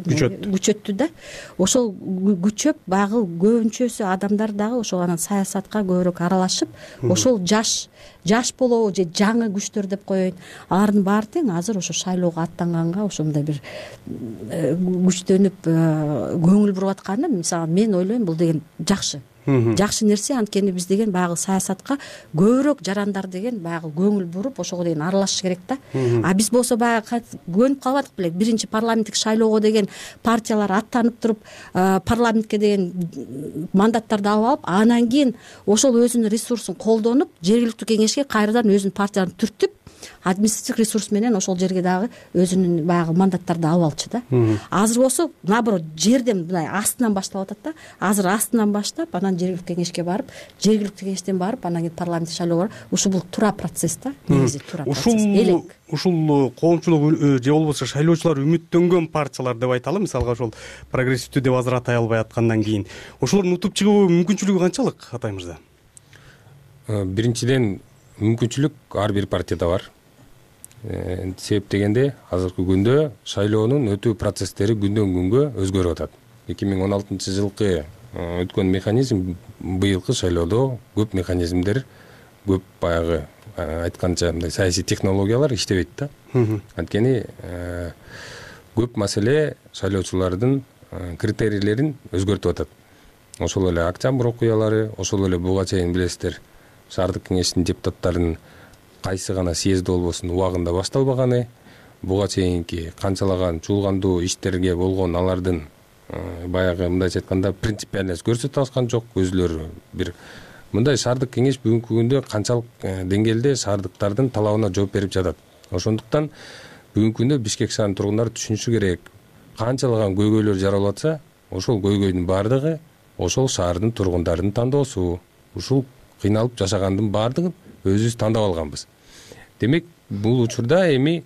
күчөттү да. Ошол күчөп баягы көбүнчөсү адамдар дагы ошол анан саясатка көбүрөөк аралашып, ошол жаш болобу же жаңы күчтөр деп коеюн, алардын баары тең азыр ошо шайлоого аттанганга ошондой бир күчтөнүп көңүл буруп атканы, мисалы мен ойлойм бул деген жакшы нерсе. Анткени биз деген баягы саясатка көбүрөөк жарандар деген баягы көңүл буруп ошого деген аралашыш керек да. Биз болсо баягы көнүп калбадык беле, биринчи парламенттик шайлоого деген партиялар аттанып туруп парламентке деген мандаттарды алып алып, анан кийин ошол өзүнүн ресурсун колдонуп жергиликтүү кеңешке кайрадан өзүнүн партияларын түртүп административдик ресурс менен ошол жерге дагы өзүнүн баягы мандаттарды алып алчу да. Азыр болсо наоборот жерден мындай астынан башталып атат да. Азыр астынан баштап анан жергиликтүү кеңешке барып, жергиликтүү кеңештен барып анан кийин парламенттик шайлоого барып, ушул бул туура процесс да. Негизи туура процесс. Ушул коомчулук же болбосо шайлоочулар үмүттөнгөн партиялар деп айталы, мисалга ошол прогрессивдүү деп азыр атай албай аткандан кийин ошолордун утуп чыгуу мүмкүнчүлүгү канчалык, Атай мырза? Биринчиден мүмкүнчүлүк ар бир партияда бар. Себеп дегенде азыркы күндө шайлоонун өтүү процесстери күндөн күнгө өзгөрүп атат. 2016-жылкы өткөн механизм быйылкы шайлоодо көп механизмдер, көп баягы айтканча мындай саясий технологиялар иштебейт да. Анткени көп маселе шайлоочулардын критерийлерин өзгөртүп атат. Ошол эле октябрь окуялары, ошол эле буга чейин билесиздер, шаардык кеңештин депутаттарынын кайсы гана съезд болбосун убагында башталбаганы, буга чейинки канчалаган чуулгандуу иштерге болгон алардын баягы мындайча айтканда принципиальность көрсөтө алышкан жок. Өзүлөрү бир мындай шаардык кеңеш бүгүнкү күндө канчалык деңгээлде шаардыктардын талабына жооп берип жатат. Ошондуктан бүгүнкү күндө Бишкек шаарынын тургундары түшүнүшү керек, канчалаган көйгөйлөр жаралып атса, ошол көйгөйдүн баардыгы ошол шаардын тургундарынын тандоосу. Ушул кыйналып жашагандын баардыгын өзүбүз тандап алганбыз. Демек, бул учурда эми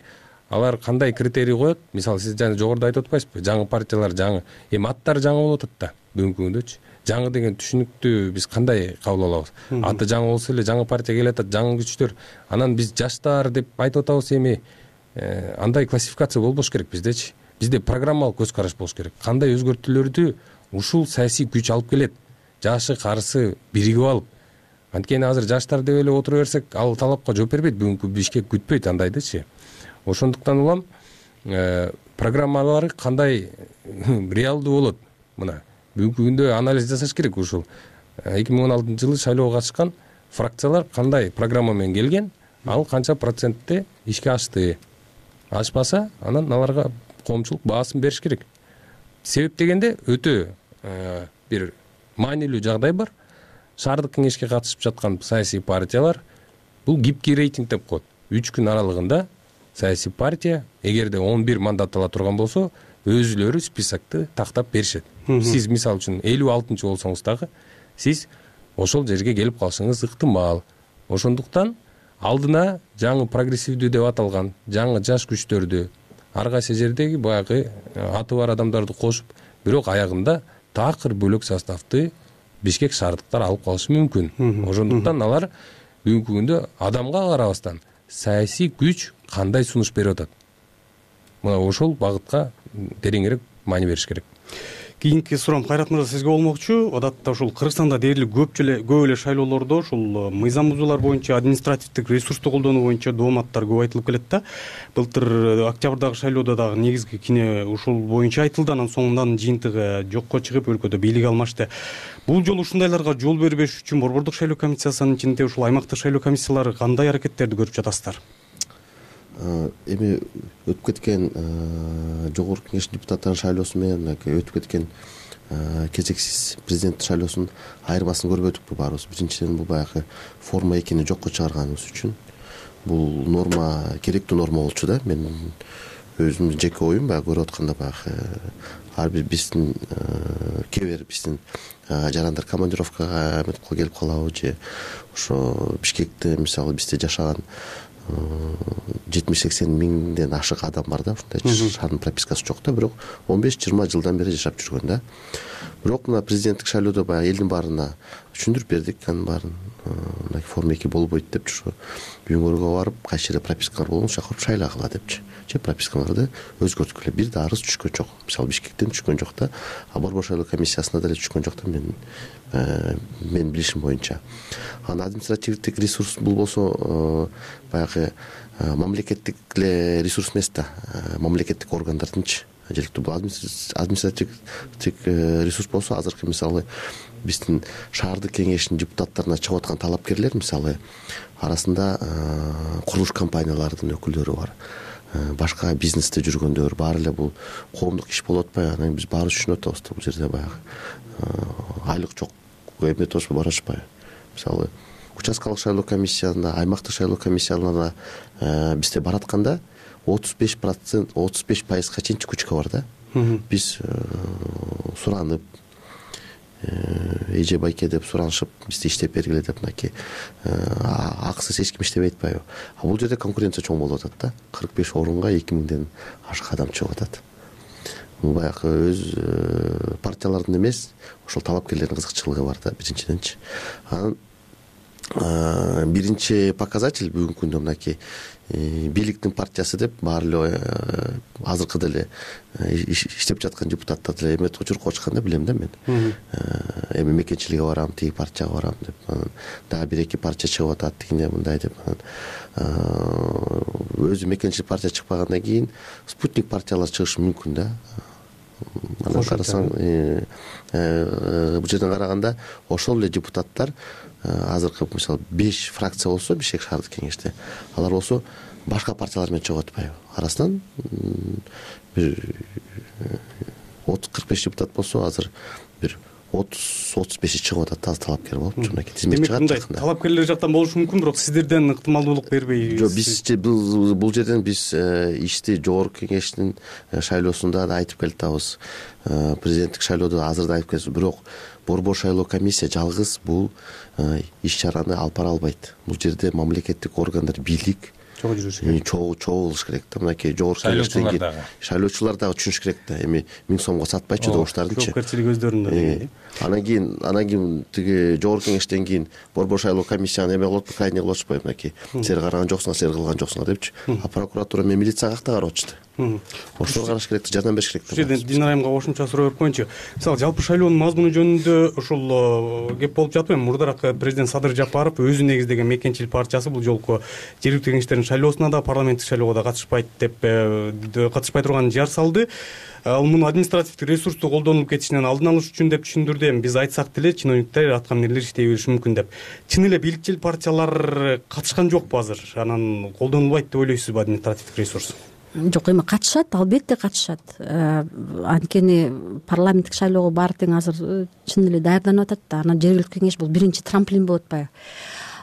алар кандай критерий коет? Мисалы, сиз жана жогоруда айтып атпайсызбы? Жаңы партиялар жаңы, эми аттары жаңы болуп атат да бүгүнкү күндөчү. Жаңы деген түшүнүктү биз кандай кабыл алабыз? Аты жаңы болсо эле жаңы партия келатат, жаңы күчтөр. Анан биз жаштар деп айтып атабыз, эми андай классификация болбош керек биздечи. Бизде программалык көз караш болуш керек. Кандай өзгөртүүлөрдү ушул саясий күч алып келет? Жашы, карысы биригип алып. Анткени азыр жаштар деп эле отура берсек, ал талапка жооп бербейт, бүгүнкү Бишкек күтпөйт андайдычы. Ошондуктан улам программалары кандай реалдуу болот? Мына бүгүнкү күндө анализ жасаш керек. Ушул 2016 жылы шайлоого катышкан фракциялар кандай программа менен келген, ал канча процентте ишке ашты. Ашпаса, анан аларга коомчулук баасын бериш керек. Себеп дегенде өтө бир маанилүү жагдай бар. Шаардык кеңешке катышып жаткан саясий партиялар бул гибкий рейтинг деп коет. 3 күн аралыгында саясий партия эгерде 11 мандат ала турган болсо, өзүлөрү списокты тактап беришет. Сиз мисалы үчүн 56-чы болсоңуз дагы сиз ошол жерге келип калышыңыз ыктымал. Ошондуктан алдына жаңы прогрессивдүү деп аталган жаңы жаш күчтөрдү, ар кайсы жердеги баягы аты бар адамдарды кошуп, бирок аягында такыр бөлөк составты Бишкек шаардыктар алып калышы мүмкүн. Ошондуктан алар бүгүнкү күндө адамга карабастан саясий күч кандай сунуш берип атат, мына ошол багытка тереңирээк маани бериш керек. Кийинки суроом Кайрат мырза сизге болмокчу. Адатта ушул Кыргызстанда дээрлик көп эле шайлоолордо ушул мыйзам бузуулар боюнча административдик ресурсту колдонуу боюнча дооматтар көп айтылып келет да. Былтыр октябрдагы шайлоодо дагы негизги кине ушул боюнча айтылды, анан соңунан жыйынтыгы жокко чыгып өлкөдө бийлик алмашты. Бул жолу ушундайларга жол бербеш үчүн Борбордук шайлоо комиссиясынын ичинде ушул аймактык шайлоо комиссиялары кандай аракеттерди көрүп жатасыздар? Эми өтүп кеткен жогорку кеңештин депутаттарынын шайлоосу менен өтүп кеткен кезексиз президенттик шайлоосунун айырмасын көрбөдүкпү баарыбыз. Биринчиден бул баягы форма экини жокко чыгарганыбыз үчүн бул норма керектүү норма болчу да. Мен өзүмдүн жеке оюм баягы көрүп атканда баягы ар бир биздин кээ бир биздин жарандар командировкага эметип келип калабы же ошо Бишкекте мисалы бизде жашаган 70-80 миңден ашык адам бар да, ушундай шаардын пропискасы жок да, бирок 15-20 жылдан бери жашап жүргөн да. Бирок мына президенттик шайлоодо баягы элдин баарына түшүндүрүп бердик, анын баарын мына форма 2 болбойт депчи, ошо үйүңөргө барып кайсы жерде пропискалар болгон ошол жака шайлагыла депчи. Же пропискаларды өзгөрткүлө. Бир да арыз түшкөн жок. Мисалы Бишкектен түшкөн жок да, Борбор шайлоо комиссиясына деле түшкөн жок да менин билишим боюнча. Анан административдик ресурс бул болсо баягы мамлекеттик эле ресурс эмес да, мамлекеттик органдардынчы. Желектүү бул административдик ресурс болсо азыркы мисалы биздин шаардык кеңештин депутаттарына чыгып аткан талапкерлер мисалы арасында курулуш компанияларынын өкүлдөрү бар, башка бизнесте жүргөндөр, баары эле бул коомдук иш болуп атпайбы? Анан биз баары түшүнүп атабыз да, бул жерде баягы айлык жок эметип барышпайбы? Мисалы участкалык шайлоо комиссиясында, аймактык шайлоо комиссияларына бизде баратканда 35%, чейин чыккучка бар да. Биз суранып, эже байке деп суранышып, бизди иштеп бергиле деп мынакей акысыз эч ким иштебей атпайбы? Бул жерде конкуренция чоң болуп атат да. 45 орунга 2000ден ашык адам чыгып атат. Бул баягы өз партиялардын эмес, ошол талапкерлердин кызыкчылыгы бар да, биринчиденчи. Анан биринчи показатель бүгүнкү күндө мынакей бийликтин партиясы деп баары эле азыркы деле иштеп жаткан депутаттар деле эметип учуркка чыкканда билем да мен. Эми мекенчиликке барам, тиги партияга барам деп, дагы 1-2 партия чыгып атат, тигине мындай деп. Өзү мекенчилик партия чыкпагандан кийин спутник партиялар чыгышы мүмкүн да. Анан карасаң, бул жерден караганда ошол эле депутаттар азыркы мисалы 5 фракция болсо Бишкек шаардык кеңеште, алар болсо башка партиялар менен чыгып атпайбы? Арасынан бир 30-45 депутат болсо азыр бир 30-35 чыгып атат, таза талапкер болуп, мынакей тизмек чыгат. Демек талапкерлер жактан болушу мүмкүн, бирок сиздерден ыктымалдуулук бербей. Жок, биз бул жерден биз ишти жогорку кеңештин шайлоосунда да айтып келатабыз, президенттик шайлоодо азыр да айтып келебиз, бирок Борбор шайлоо комиссия жалгыз бул иш чараны алып бара албайт. Бул жерде мамлекеттик органдар, бийлик чогуу болуш керек да. Мынакей жогорку кеңештен шайлоочулар дагы түшүнүш керек да. Эми 1000 сомго сатпайчы добуштардынчы. Жоопкерчилик өздөрүндө деген. Анан кийин тиги жогорку кеңештен кийин Борбор шайлоо комиссияны эме кылып, крайне кылып атышпайбы? Мынакей силер караган жоксуңар, силер кылган жоксуңар депчи. А прокуратура менен милиция какта карап атышты. ошого караш керек, жардам бериш керек. Ушул жерден Динара айымга кошумча суроо берип коеюнчу. Мисалы жалпы шайлоонун мазмуну жөнүндө ушул кеп болуп жатпайбы? Мурдараак президент Садыр Жапаров өзү негиздеген Мекенчил партиясы бул жолку жергиликтүү кеңештердин шайлоосуна да, парламенттик шайлоого да катышпайт деп катышпай турганын жар салды. Ал муну административдик ресурсту колдонулуп кетишинен алдын алыш үчүн деп түшүндүрдү. Эми биз айтсак деле чиновниктер, аткаминерлер иштей бериши мүмкүн деп. Чын эле бийликчил партиялар катышкан жокпу азыр? Анан колдонулбайт деп ойлойсузбу административдик ресурс? Жок, эми катышат, албетте катышат. Анткени парламенттик шайлоого баары тең азыр чын эле даярданып атат да. Анан жергиликтүү кеңеш бул биринчи трамплин болуп атпайбы?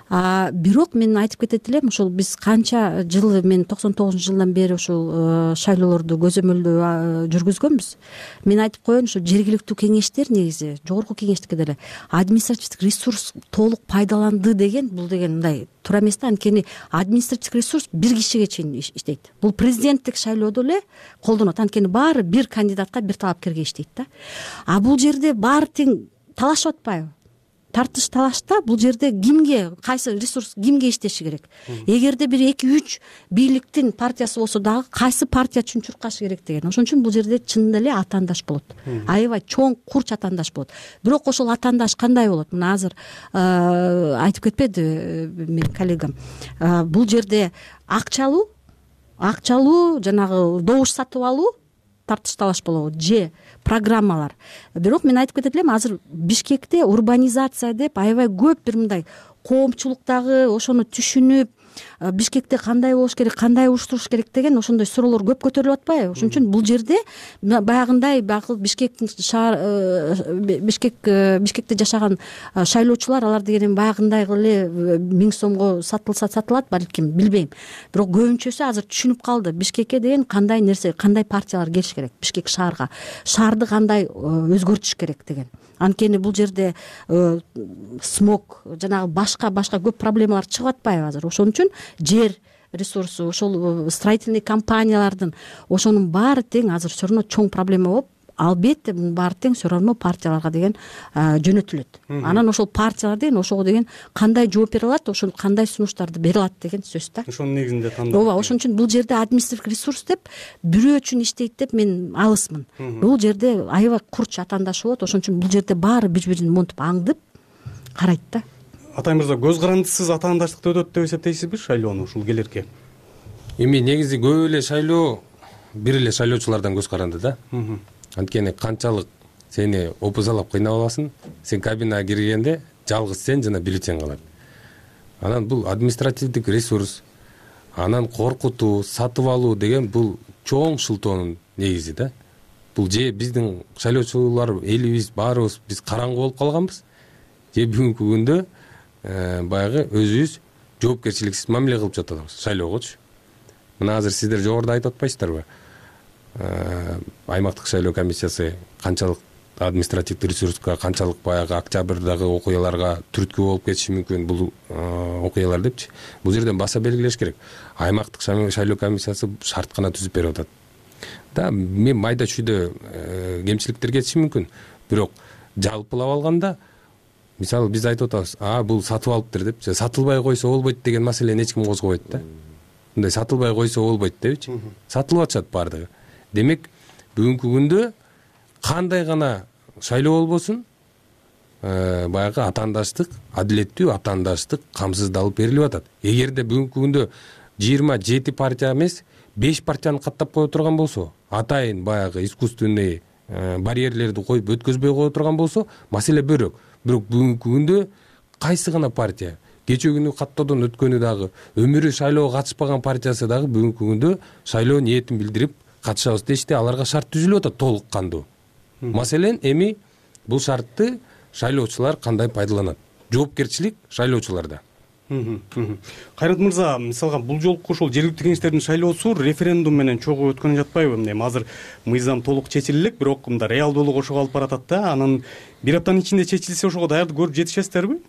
Бирок мен айтып кетет элем, ушул биз канча жыл, мен 99-жылдан бери ушул шайлоолорду көзөмөлдөө жүргүзгөнбүз. Мен айтып коеюн, ушул жергиликтүү кеңештер негизи жогорку кеңештикке деле административдик ресурс толук пайдаланды деген, бул деген мындай туура эмес да. Анткени административдик ресурс бир кишиге чейин иштейт. Бул президенттик шайлоодо эле колдонот. Анткени баары бир кандидатка, бир талапкерге иштейт да. Бул жерде баары тең талашып атпайбы? Тартыш талашта бул жерде кимге, кайсы ресурс кимге иштеши керек? Эгерде бир 2-3 бийликтин партиясы болсо дагы кайсы партия үчүн чуркашы керек деген. Ошон үчүн бул жерде чынында эле атаандаш болот. Аябай чоң курч атаандаш болот. Бирок ошол атаандаш кандай болот? Мына азыр айтып кетпеди менин коллегам. Бул жерде акчалуу жанагы добуш сатып алуу тартыш талаш болобу же программалар. Бирок мен айтып кетет элем, азыр Бишкекте урбанизация деп аябай көп бир мындай коомчулуктагы ошону түшүнүп, Бишкекте кандай болуш керек, кандай уюштуруш керек деген ошондой суроолор көп көтөрүлүп атпайбы? Ошон үчүн бул жерде баягындай Бишкектин Бишкекте жашаган шайлоочулар, алар деген баягындай эле 1000 сомго сатылса сатылат балким, билбейм. Бирок көбүнчөсү азыр түшүнүп калды Бишкекке деген кандай нерсе, кандай партиялар келиш керек, Бишкек шаарга, шаарды кандай өзгөртүш керек деген. Анткени бул жерде смог, жанагы башка көп проблемалар чыгып атпайбы азыр? Ошон үчүн жер ресурсу, ошол строительный компаниялардын ошонун баары тең азыр все равно чоң проблема болуп, албетте мунун баары тең все равно партияларга деген жөнөтүлөт. Анан ошол партиялар деген ошого деген кандай жооп бере алат, ошол кандай сунуштарды бере алат деген сөз да. Ошонун негизинде тандап. Ооба, ошон үчүн бул жерде административдик ресурс деп бирөө үчүн иштейт деп мен алысмын. Бул жерде аябай курч атаандаш болот. Ошон үчүн бул жерде баары бири-бирин монтуп аңдып карайт да. Атай мырза, көз карандысыз атаандаштыкты өтөт деп эсептейсизби шайлоону ушул келерке? Эми негизи көп эле шайлоо бир эле шайлоочулардан көз каранды да. Анткени канчалык сени опузалап кыйнап аласың, сен кабинага киргенде жалгыз сен жана бюллетень калат. Анан бул административдик ресурс, анан коркутуу, сатып алуу деген бул чоң шылтоонун негизи да. Бул же биздин шайлоочулар, элибиз баарыбыз биз караңгы болуп калганбыз, же бүгүнкү күндө баягы өзүбүз жоопкерчиликсиз мамиле кылып жатабыз шайлоогочу. Мына азыр сиздер жогоруда айтып атпайсыздарбы? Аймактык шайлоо комиссиясы канчалык административдик ресурска, канчалык баягы октябрдагы окуяларга түрткү болуп кетиши мүмкүн бул окуялар депчи. Бул жерден баса белгилеш керек. Аймактык шайлоо комиссиясы шарт гана түзүп берип атат. Да, мен майда чүйдө кемчиликтер кетиши мүмкүн. Бирок жалпылап алганда, мисалы биз айтып атабыз, бул сатып алыптыр деп, сатылбай койсо болбойт деген маселени эч ким козгобойт да. Мындай сатылбай койсо болбойт депчи. Сатылып атышат баардыгы. Демек, бүгүнкү күндө кандай гана шайлоо болбосун, баягы атаандаштык, адилеттүү атаандаштык камсыздалып берилип атат. Эгерде бүгүнкү күндө 27 партия эмес, 5 партияны каттап кое турган болсо, атайын баягы искусственный барьерлерди коюп өткөзбөй кое турган болсо, маселе бөлөк. Бирок бүгүнкү күндө кайсы гана партия, кечээ күнү каттоодон өткөнү дагы, өмүрү шайлоого катышпаган партиясы дагы бүгүнкү күндө шайлоо ниетин билдирип катышабыз дешти, аларга шарт түзүлүп атат толук кандуу. Маселен, эми бул шартты шайлоочулар кандай пайдаланат? Жоопкерчилик шайлоочуларда. Кайрат мырза, мисалга бул жолку ошол жергиликтүү кеңештердин шайлоосу референдум менен чогуу өткөнү жатпайбы? Эми азыр мыйзам толук чечиле элек, бирок мында реалдуулук ошого алып баратат да. Анан бир аптанын ичинде чечилсе ошого даярдык көрүп жетишесиздерби?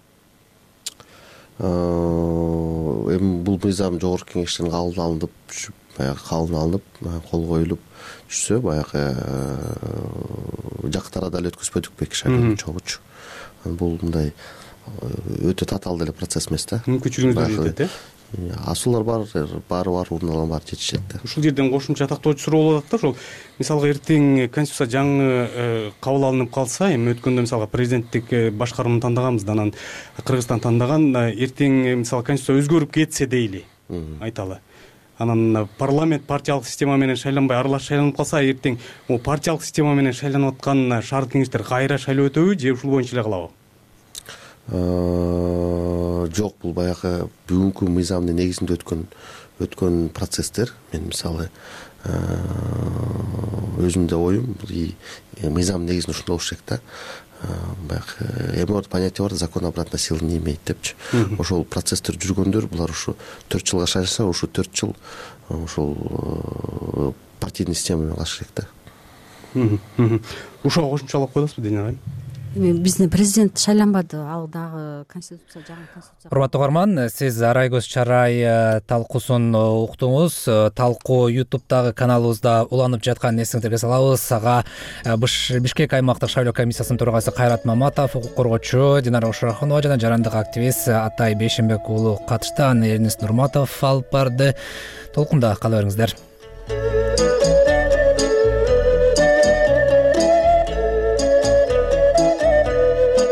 Эми бул мыйзам жогорку кеңештен кабыл алынып, баягы кабыл алынып, кол коюлуп түшсө, баягы жакты арада эле өткөзбөдүкпү эки шайлоону чогуучу. Бул мындай өтө татаал деле процесс эмес да. Мүмкүнчүлүгүңүздөр жетет, асуулар баары орун алган баары жетишет да. Ушул жерден кошумча тактоочу суроо болуп атат да, ошол мисалга эртең конституция жаңы кабыл алынып калса, эми өткөндө мисалга президенттик башкарууну тандаганбыз да, анан Кыргызстан тандаган, эртең мисалы конституция өзгөрүп кетсе дейли, айталы. Анан парламент партиялык система менен шайланбай аралаш шайланып калса, эртең могу партиялык система менен шайланып аткан шаардык кеңештер кайра шайлоо өтөбү же ушул боюнча эле калабы? Жок, бул баягы бүгүнкү мыйзамдын негизинде өткөн процесстер. Мен мисалы өзүмдө оюм, бул мыйзамдын негизинде ушундай болуш керек да. Баягы эморт понятие бар, закон обратной силы не имеет депчи. Ошол процесстер жүргөндөр, булар ушу 4 жылга шайланса, ушу 4 жыл ошол партийный система менен калыш керек да. Ушуга кошумчалап коесузбу Дина айым? Биздин президент шайланбады, ал дагы конституция, жаңы конституция. Урматтуу угарман, сиз Арайгөз Чарай талкуусун уктуңуз. Талкуу YouTube'дагы каналыбызда уланып жатканын эсиңиздерге салабыз. Ага Бишкек аймактык шайлоо комиссиясынын төрагасы Кайрат Маматов, укук коргоочу Динара Ошорохунова жана жарандык активист Атай Бейшенбек уулу катышты. Анын эринин Нурматов алып барды. Толкунда кала бериңиздер.